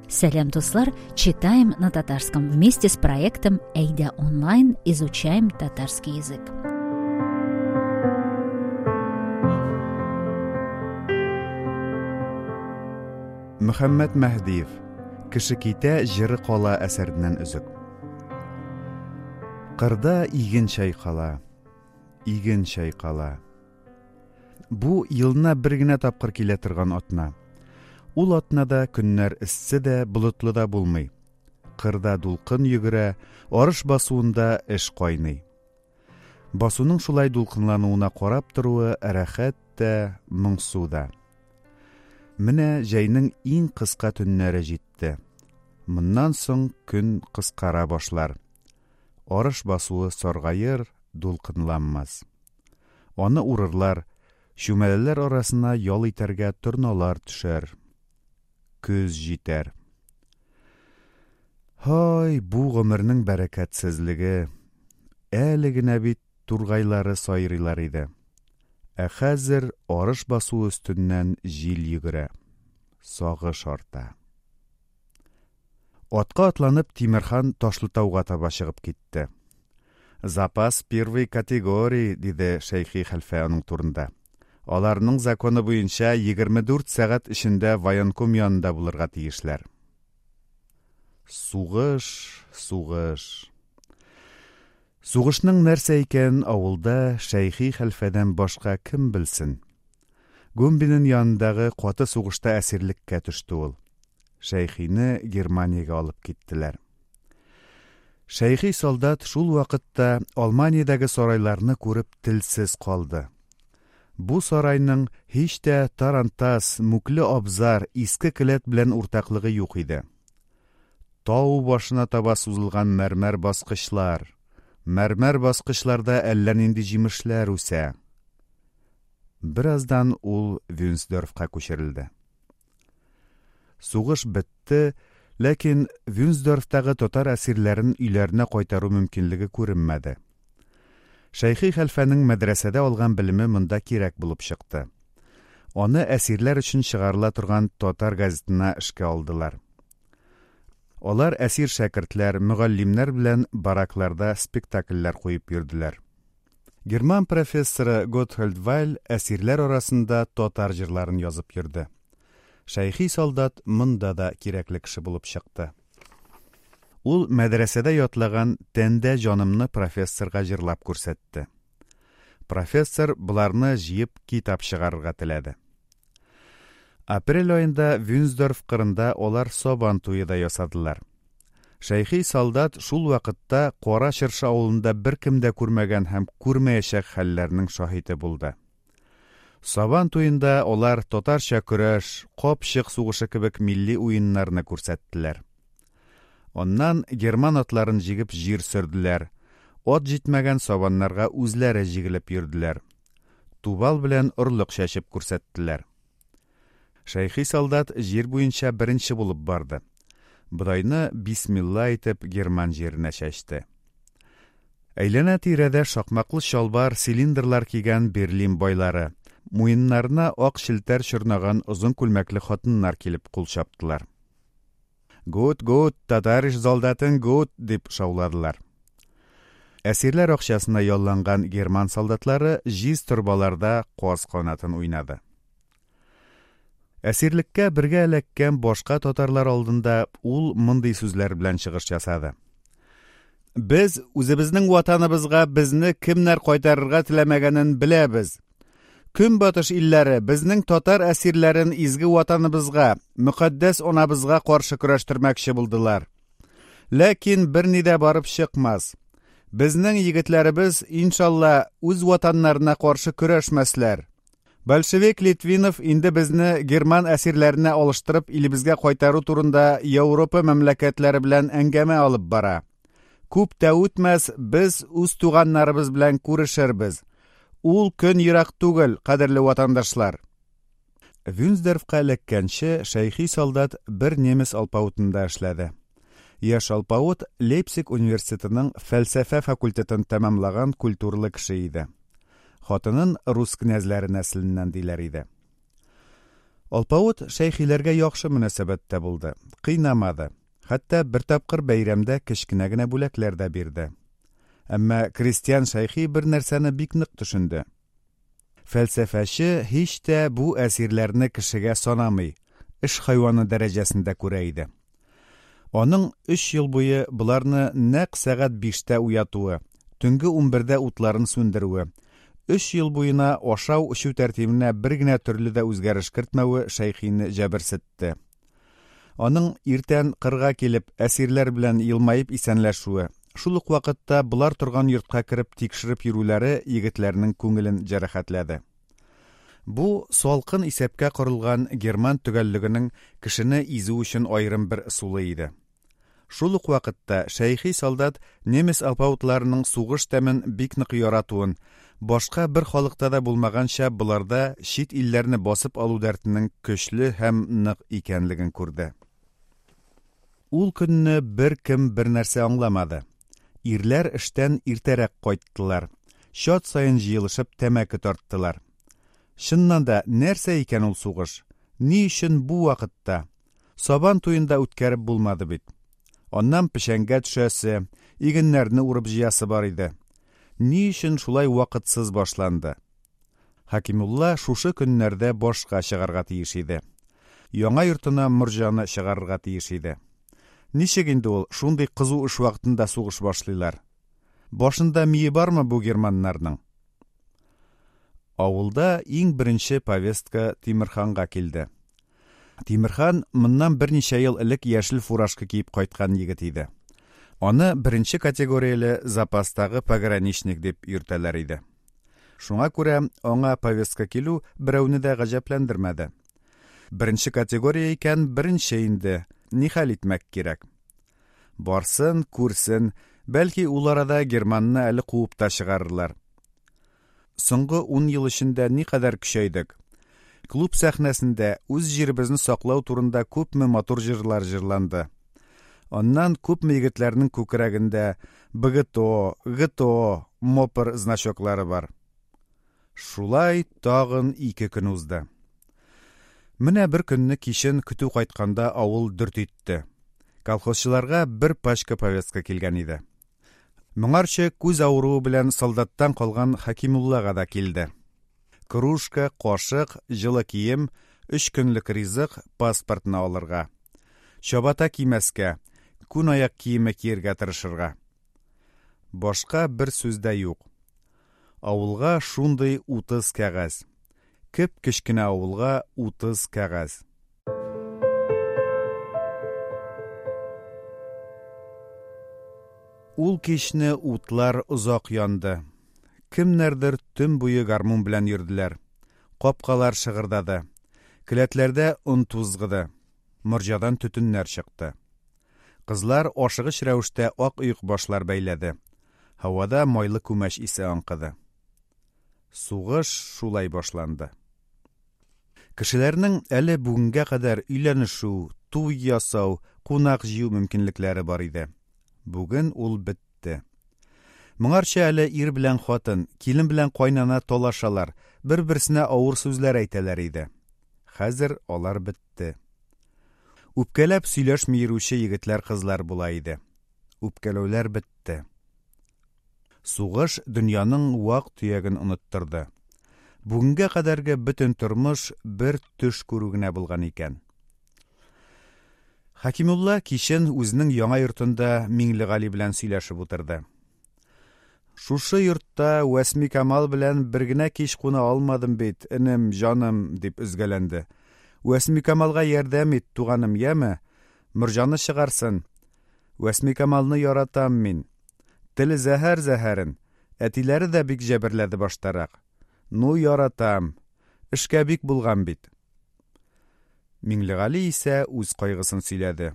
Сәлам, дуслар! Читаем на татарском вместе с проектом Әйдә онлайн изучаем татарский язык. Мөхәммәт Мәһдиев Кеше китә, җыры кала әсәреннән өзек. Кырда иген чайкала, иген чайкала. Бу елына бер генә тапкыр килә торган атна. Ул атнада көннәр эссе дә, болытлы да булмый. Кырда дулкын йөгерә, арыш басуында эш кайный. Басуның шулай дулкынлануына карап торуы рәхәт тә, моңсу да. Менә җәйнең иң кыска төннәре җитте. Моннан соң көн кыскара башлар. Арыш басуы саргаер, дулкынланмас. Аны урырлар, чүмәләләр арасына ял итәргә торналар төшәр. Көз җитәр. Һай, бу гомернең бәрәкәтсезлеге! Әле генә бит тургайлары сайрыйлар иде. Ә хәзер арыш басуы өстеннән җил йөгерә. Сагыш арта. Атка атланып, Тимерхан Ташлытауга таба чыгып китте. Запас первой категории, диде Шәйхи хәлфә аның турында. Аларның законы буенча 24 сәгать эчендә военком янында булырга тиешләр. Сугыш, сугыш. Сугышның нәрсә икәнен авылда Шәйхи хәлфәдән башка кем белсен? Гумбинен янындагы каты сугышта әсирлеккә төште ул. Шәйхине Германиягә алып киттеләр. Шәйхи солдат шул вакытта Алманиядәге сарайларны күреп телсез калды. Бу сарайның һич тә тарантас, мүкле абзар, иске келәт белән уртаклыгы юк иде. Тау башына таба сузылган мәрмәр баскычлар. Мәрмәр баскычларда әллә нинди җимешләр үсә. Бераздан ул Вюнсдорфка күчерелде. Сугыш бетте, ләкин Вюнсдорфтагы татар әсирләрен өйләренә кайтару мөмкинлеге күренмәде. Шәйхи хәлфәнең мәдрәсәдә алган белеме монда кирәк булып чыкты. Аны әсирләр өчен чыгарыла торган татар газетына эшкә алдылар. Алар әсир шәкертләр, мөгаллимнәр белән баракларда спектакльләр куеп йөрделәр. Герман профессоры Готхольд Вайль әсирләр арасында татар җырларын язып йөрде. Шәйхи солдат монда да кирәкле кеше булып чыкты. Ул мәдрәсәдә ятлаган Тәндә җанымны профессорга җырлап күрсәтте. Профессор боларны җыеп китап чыгарырга теләде. Апрель аенда Вюнсдорф кырында алар Сабан туе да ясадылар. Шәйхи солдат шул вакытта Кара Чыршы авылында беркем дә күрмәгән һәм күрмәячәк хәлләрнең шаһиты булды. Сабан туенда алар татарча көрәш, капчык сугышы кебек милли уеннарны күрсәттеләр. Аннан герман атларын җигеп җир сөрделәр, ат җитмәгән сабаннарга үзләре җигелеп йөрделәр. Тубал белән орлык чәчеп күрсәттеләр. Шәйхи солдат җир буенча беренче булып барды. Бодайны бисмилла әйтеп герман җиренә чәчте. Әйләнә-тирәдә шакмаклы чалбар, цилиндрлар кигән Берлин байлары, муеннарына ак челтәр чорнаган озын күлмәкле хатыннар килеп кул чаптылар. Гут, гут, татариш солдатын гут, дип шауладылар. Әсирләр акчасына ялланган герман солдатлары җиз торбаларда каз канатын уйнады. Әсирлеккә бергә эләккән башка татарлар алдында ул мондый сүзләр белән чыгыш ясады. Без үзебезнең ватаныбызга безне кемнәр кайтарырга теләмәгәнен беләбез. Көнбатыш илләре безнең татар әсирләрен изге ватаныбызга, мөкатдәс анабызга каршы көрәштермәкче булдылар. Ләкин берни дә барып чыкмас. Безнең егетләребез, иншалла, үз ватаннарына каршы көрәшмәсләр. Большевик Литвинов инде безне герман әсирләренә алыштырып илебезгә кайтару турында Европа мәмләкәтләре белән әңгәмә алып бара. Күп тә үтмәс, без үз туганнарыбыз белән күрешербез. Ул көн ерак түгел, кадерле ватандашлар. Вюнсдорфка эләккәнче Шәйхи солдат бер немец алпавытында эшләде. Яшь алпавыт Лейпциг университетының фәлсәфә факультетын тәмамлаган культуралы кеше иде. Хатынын рус князьләре нәселеннән диләр иде. Алпавыт Шәйхиләргә яхшы мөнәсәбәттә булды, кыйнамады, хәтта бер тапкыр бәйрәмдә кечкенә генә бүләкләр дә бирде. Әмма крестьян Шәйхи бер нәрсәне бик нык төшенде. Фәлсәфәче һич тә бу әсирләрне кешегә санамый, эш хайваны дәрәҗәсендә күрә иде. Аның өч ел буе боларны нәкъ сәгать биштә уятуы, төнге унбердә утларын сүндерүе, өч ел буена ашау-эчү тәртибенә бер генә төрле дә үзгәреш кертмәве Шәйхине җәберсетте. Аның иртән кырга килеп, әсирләр белән елмаеп исәнләшүе, шул ук вакытта болар торган йортка кереп тикшереп йөрүләре егетләрнең күңелен җәрәхәтләде. Бу салкын исәпкә корылган герман төгәллегенең кешене изү өчен аерым бер ысулы иде. Шул ук вакытта Шәйхи солдат немец алпавытларының сугыш тәмен бик нык яратуын, башка бер халыкта да булмаганча боларда чит илләрне басып алу дәртенең көчле һәм нык икәнлеген күрде. Ул көнне беркем бернәрсә аңламады. Ирләр эштән иртәрәк кайттылар. Чат саен җыелышып тәмәке тарттылар. Чыннан да, нәрсә икән ул сугыш? Ни өчен бу вакытта? Сабан туен да үткәреп булмады бит. Аннан печәнгә төшәсе, игеннәрне урып җыясы бар иде. Ни өчен шулай вакытсыз башланды? Хәкимулла шушы көннәрдә башка чыгарга тиеш иде. Яңа йортына морҗаны чыгарырга тиеш иде. Ничек инде ул шундый кызу эш вакытында сугыш башлыйлар? Башында мие бармы бу германнарның? Авылда иң беренче повестка Тимерханга килде. Тимерхан моннан берничә ел элек яшел фуражка киеп кайткан егет иде. Аны беренче категорияле запастагы пограничник дип йөртәләр иде. Шуңа күрә аңа повестка килү берәүне дә гаҗәпләндермәде. Беренче категория икән, беренче инде, нихәл итмәк кирәк. Барсын, күрсен, бәлки ул арада германны әле куып та чыгарырлар. Соңгы ун ел эчендә никадәр көчәйдек. Клуб сәхнәсендә үз җиребезне саклау турында күпме матур җырлар җырланды. Аннан күпме егетләрнең күкрәгендә БГТО, ГТО, МОПР значоклары бар. Шулай тагын ике көн узды. Менә бер көнне кичен көтү кайтканда авыл дөрт итте. Колхозчыларга бер пачка повестка килгән иде. Моңарчы күз авыруы белән солдаттан калган Хәкимуллага да килде. Кружка, кашык, җылы кием, өч көнлек ризык, паспортны алырга. Чабата кимәскә, күн аяк киеме киергә тырышырга. Башка бер сүз дә юк. Авылга шундый 30 кәгазь. Кеп-кечкенә авылга 30 кәгазь. Ул кичне утлар озак янды. Кемнәрдер төн буе гармун белән йөрделәр. Капкалар шыгырдады. Келәтләрдә он тузгыды. Морҗадан төтеннәр чыкты. Кызлар ашыгыч рәвештә ак оекбашлар бәйләде. Һавада майлы күмәч исе аңкыды. Сугыш шулай башланды. Кешеләрнең әле бүгенгә кадәр өйләнешү, туй ясау, кунак җыю мөмкинлекләре бар иде. Бүген ул бетте. Моңарчы әле ир белән хатын, килен белән кайнана талашалар, бер-берсенә авыр сүзләр әйтәләр иде. Хәзер алар бетте. Үпкәләп сөйләшми йөрүче егетләр-кызлар була иде. Үпкәләүләр бетте. Сугыш дөньяның вак-төяген оныттырды. Бүгенгә кадәрге бөтен тормыш бер төш күрү генә булган икән. Хәкимулла кичен үзенең яңа йортында Миңлегали белән сөйләшеп утырды. Шушы йортта Вәсмикамал белән бер генә кич куна алмадым бит, энем, җаным, дип өзгәләнде. Вәсмикамалга ярдәм ит, туганым, яме? Морҗаны чыгарсын. Вәсмикамалны яратам мин. Теле зәһәр зәһәрен. Әтиләре дә бик җәберләде баштарак. Ну, яратам. Эшкә бик булган бит. Миңлегали исә үз кайгысын сөйләде.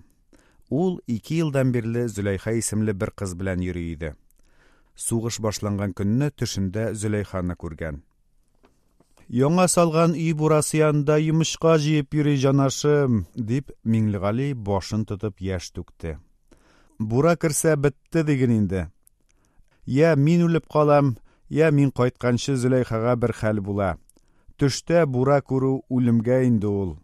Ул ике елдан бирле Зөләйха исемле бер кыз белән йөри иде. Сугыш башланган көнне төшендә Зөләйханы күргән. Яңа салган өй бурасы янында йомычка җыеп йөри җанашым, дип Миңлегали башын тотып яшь түкте. Бура керсә бетте диген инде. Я мин үлеп калам, я мин кайтканчы Зөләйхага бер хәл була. Төштә бура күрү үлемгә инде ул.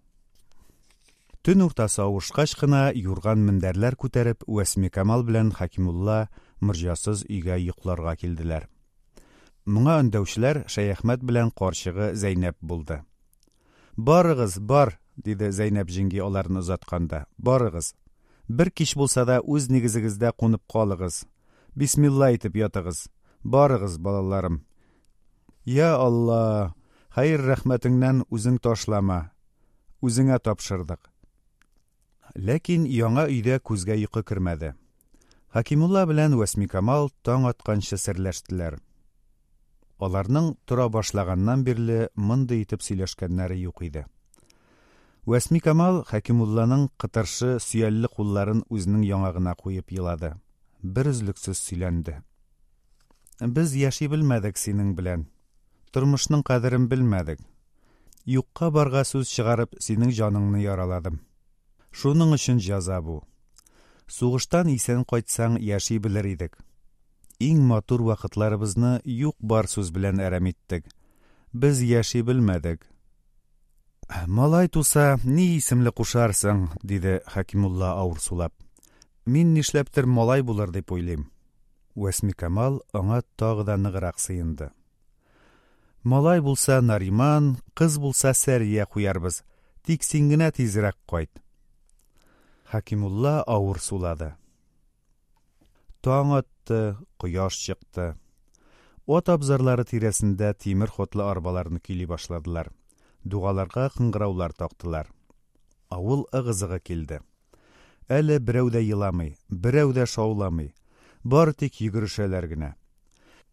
Төн уртасы авышкач кына юрган-мендәрләр күтәреп Вәсмикамал белән Хәкимулла морҗасыз өйгә йокларга килделәр. Моңа өндәүчеләр Шәяхмәт белән карчыгы Зәйнәп булды. Барыгыз, бар, диде Зәйнәп җиңги аларны озатканда. Барыгыз. Бер кич булса да үз нигезегездә кунып калыгыз. Бисмилла әйтеп ятыгыз. Барыгыз, балаларым. Я Алла, хәер-рәхмәтеңнән үзең ташлама. Үзеңә тапшырдык. Ләкин яңа өйдә күзгә йокы кермәде. Хәкимулла белән Вәсмикамал таң атканчы серләштеләр. Аларның тора башлаганнан бирле мондый итеп сөйләшкәннәре юк иде. Вәсмикамал Хәкимулланың кытыршы, сөялле кулларын үзенең яңагына куеп елады. Берөзлексез сөйләнде. Без яши белмәдек синең белән. Тормышның кадерен белмәдек. Юкка-барга сүз чыгарып, синең җаныңны яраладым. Шуның өчен җәза бу. Сугыштан исән кайтсаң, яши белер идек. Иң матур вакытларыбызны юк-бар сүз белән әрәм иттек. Без яши белмәдек. Малай туса, ни исемле кушарсың? диде Хәкимулла авыр сулап. Мин нишләптер малай булыр дип уйлыйм. Вәсмикамал аңа тагы да ныграк сыенды. Малай булса Нариман, кыз булса Сәрия куярбыз. Тик син генә тизрәк кайт. Хәкимулла авыр сулады. Таң атты, кояш чыкты. Ат абзарлары тирәсендә тимер ходлы арбаларны көйли башладылар. Дугаларга кыңгыраулар тактылар. Авыл ыгы-зыгы килде. Әле берәү дә еламый, берәү дә шауламый. Бары тик йөгерешәләр генә.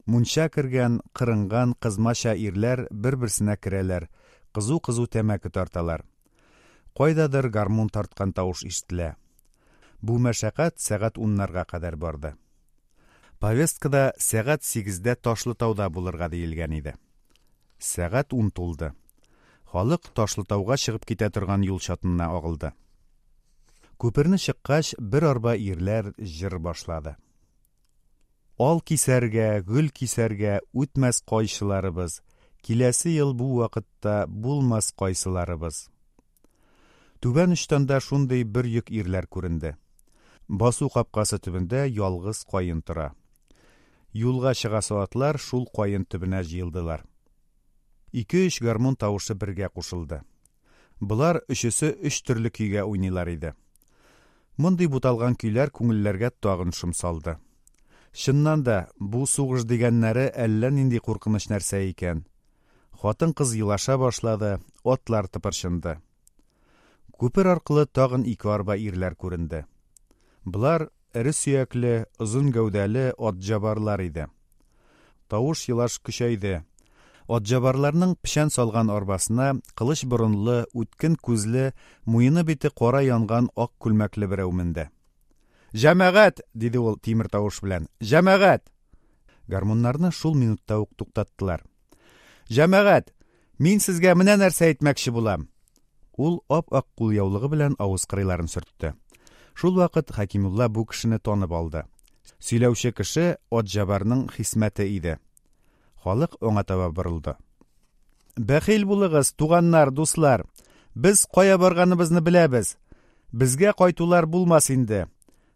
Мунча кергән, кырынган кызмача ирләр бер-берсенә керәләр, кызу-кызу тәмәке тарталар. Кайдадыр гармун тарткан тавыш ишетелә. Бу мәшәкать сәгать уннарга кадәр барды. Повесткада сәгать сигездә Ташлытауда булырга диелгән иде. Сәгать ун тулды. Халык Ташлытауга чыгып китә торган юл чатына агылды. Күперне чыккач, бер арба ирләр җыр башлады. Ал кисәргә, гөл кисәргә үтмәс кайчыларыбыз, киләсе ел бу вакытта булмас кайсыларыбыз. Түбән очтан да шундый бер йөк ирләр күренде. Басу капкасы төбендә ялгыз каен тора. Юлга чыгасы атлар шул каен төбенә җыелдылар. Ике-өч гармун тавышы бергә кушылды. Болар өчесе өч төрле көйгә уйныйлар иде. Мондый буталган көйләр күңелләргә тагын шом салды. Чыннан да, бу сугыш дигәннәре әллә нинди куркыныч нәрсә икән. Хатын-кыз елаша башлады, атлар тыпырчынды. Күпер аркылы тагын ике арба ирләр күренде. Болар эре сөякле, озын гәүдәле атҗабарлар иде. Тавыш елаш көчәйде. Атҗабарларның печән салган арбасына кылыч борынлы, үткен күзле, муены-бите кара янган ак күлмәкле берәү менде. Җәмәгать! диде ул тимер тавыш белән. Җәмәгать! Гармуннарны шул минутта ук туктаттылар. Җәмәгать, мин сезгә менә нәрсә әйтмәкче булам. Ул ап-ак кулъяулыгы белән авыз кырыйларын сөртте. Шул вакыт Хәкимулла бу кешене танып алды. Сөйләүче кеше Атҗабарның Хисмәте иде. Халык аңа таба борылды. Бәхил булыгыз, туганнар, дуслар. Без кая барганыбызны беләбез. Безгә кайтулар булмас инде.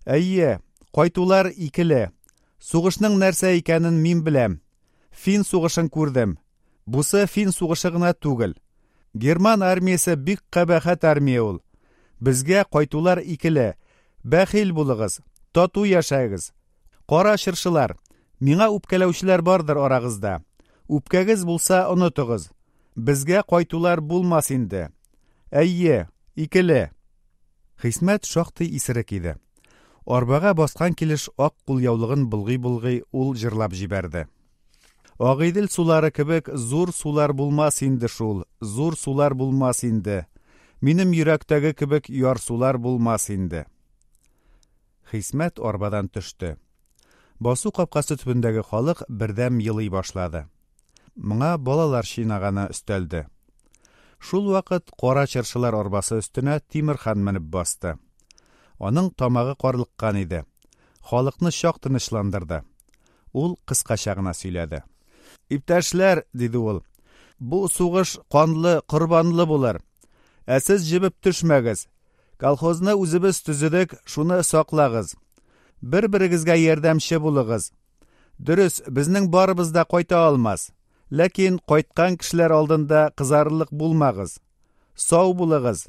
Әйе, кайтулар икеле. Сугышның нәрсә икәнен мин беләм. Фин сугышын күрдем. Бусы фин сугышы гына түгел. Герман армиясе бик кабахәт армия ул. Безгә кайтулар икеле. Бәхил булыгыз, тату яшәгез. Кара чыршылар, миңа үпкәләүчеләр бардыр арагызда. Үпкәгез булса, онытыгыз. Безгә кайтулар булмас инде. Әйе, икеле. Хисмәт шактый исерек иде. Арбага баскан килеш ак кулъяулыгын болгый-болгый ул җырлап җибәрде. Агыйдел сулары кебек зур сулар булмас инде шул, зур сулар булмас инде. Минем йөрәктәге кебек ярсулар булмас инде. Хисмәт арбадан төште. Басу капкасы төбендәге халык бердәм елый башлады. Моңа балалар чинаганы өстәлде. Шул вакыт кара чыршылар арбасы өстенә Тимерхан менеп басты. Аның тамагы карлыккан иде. Халыкны чак тынычландырды. Ул кыскача гына сөйләде. Иптәшләр, диде ул, бу сугыш канлы, корбанлы булыр. Ә сез җебеп төшмәгез. Колхозны үзебез төзедек, шуны саклагыз. Бер-берегезгә ярдәмче булыгыз. Дөрес, безнең барыбыз да кайта алмас. Ләкин кайткан кешеләр алдында кызарырлык булмагыз. Сау булыгыз.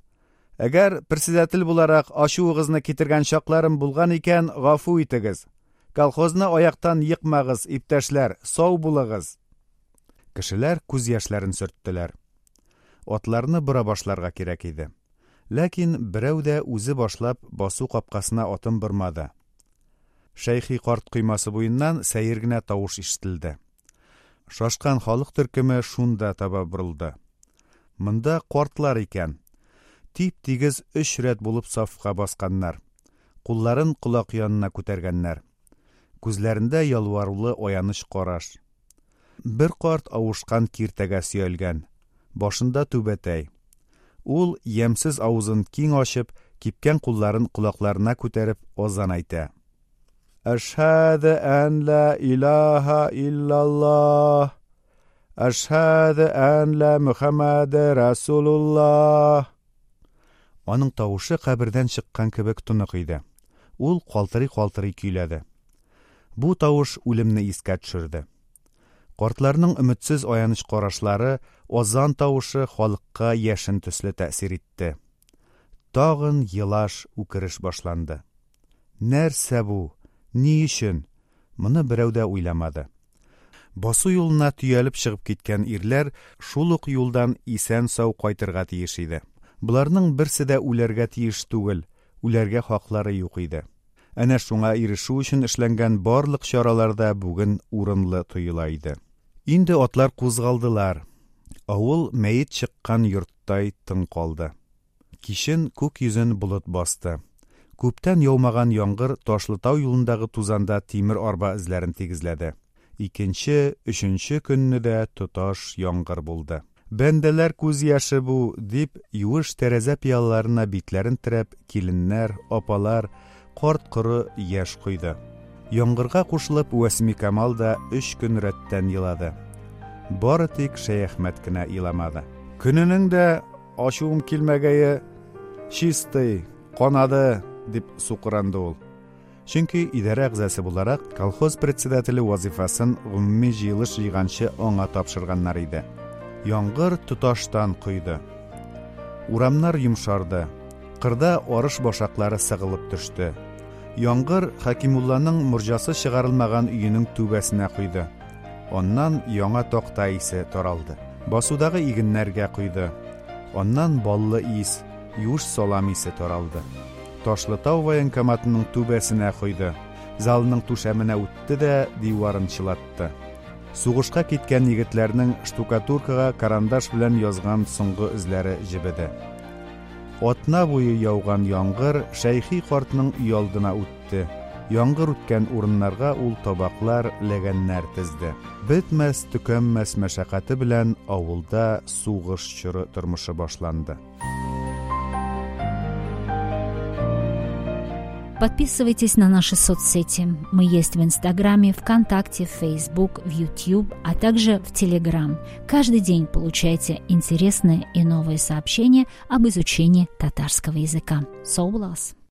Әгәр председатель буларак ачуыгызны китергән чакларым булган икән, гафу итегез. Колхозны аяктан екмагыз, иптәшләр, сау булыгыз. Кешеләр күз яшьләрен сөрттеләр. Атларны бора башларга кирәк иде. Ләкин берәү дә үзе башлап басу капкасына атын бормады. Шәйхи карт коймасы буеннан сәер генә тавыш ишетелде. Шашкан халык төркеме шунда таба борылды. Монда картлар икән. Тип-тигез өч рәт булып сафка басканнар. Кулларын колак янына күтәргәннәр. Күзләрендә ялварулы аяныч караш. Бер карт авышкан киртәгә сөялгән. Башында түбәтәй. Ул, ямьсез авызын киң ачып, кипкән кулларын колакларына күтәреп, азан әйтә. Әшһәде ән лә илаһа иллаллаһ. Әшһәде ән лә Мөхәммәде Расулуллаһ. Аның тавышы кабердән чыккан кебек тонык иде. Ул калтырый-калтырый көйләде. Бу тавыш үлемне искә төшерде. Картларның өметсез аяныч карашлары, азан тавышы халыкка яшен төсле тәэсир итте. Тагын елаш, үкереш башланды. Нәрсә бу? Ни өчен? Моны берәү дә уйламады. Басу юлына төялеп чыгып киткән ирләр шул ук юлдан исән-сау кайтырга тиеш иде. Боларның берсе дә үләргә тиеш түгел, үләргә хаклары юк иде. Әнә шуңа ирешү өчен эшләнгән барлык чаралар да бүген урынлы тоела иде. Инде атлар кузгалдылар. Авыл мәет чыккан йорттай тын калды. Кичен күк йөзен болыт басты. Күптән яумаган яңгыр Ташлытау юлындагы тузанда тимер арба эзләрен тигезләде. Икенче, өченче көнне дә тоташ яңгыр булды. Бәндәләр күз яше бу, дип, юеш тәрәзә пыялаларына битләрен терәп, киленнәр, апалар, карт-коры яшь койды. Яңгырга кушылып Вәсмикамал да өч көн рәттән елады. Бары тик Шәяхмәт кенә еламады. Көненең дә ачуым килмәгәе, чистый, канады, дип сукыранды ул. Чөнки идарә әгъзасы буларак колхоз председателе вазифасын гомуми җыелыш җыйганчы аңа тапшырганнар иде. Яңгыр тоташтан койды. Урамнар йомшарды. Кырда арыш башаклары сыгылып төште. Яңгыр Хәкимулланың морҗасы чыгарылмаган өенең түбәсенә койды. Аннан яңа такта исе таралды. Басудагы игеннәргә койды. Аннан баллы ис, юеш салам исе таралды. Ташлытау военкоматының түбәсенә койды, залның түшәменә үтте дә диварын чылатты. Сугышка киткән егетләрнең штукатуркага карандаш белән язган соңгы эзләре җебеде. Атна буе яуган яңгыр Шәйхи картның өйалдына үтте. Яңгыр үткән урыннарга ул табаклар, ләгәннәр тезде. Бетмәс-төкәнмәс мәшәкате белән авылда сугыш чоры тормышы башланды. Подписывайтесь на наши соцсети. Мы есть в Инстаграме, ВКонтакте, Фейсбук, в Ютуб, а также в Телеграм. Каждый день получайте интересные и новые сообщения об изучении татарского языка. Соулас!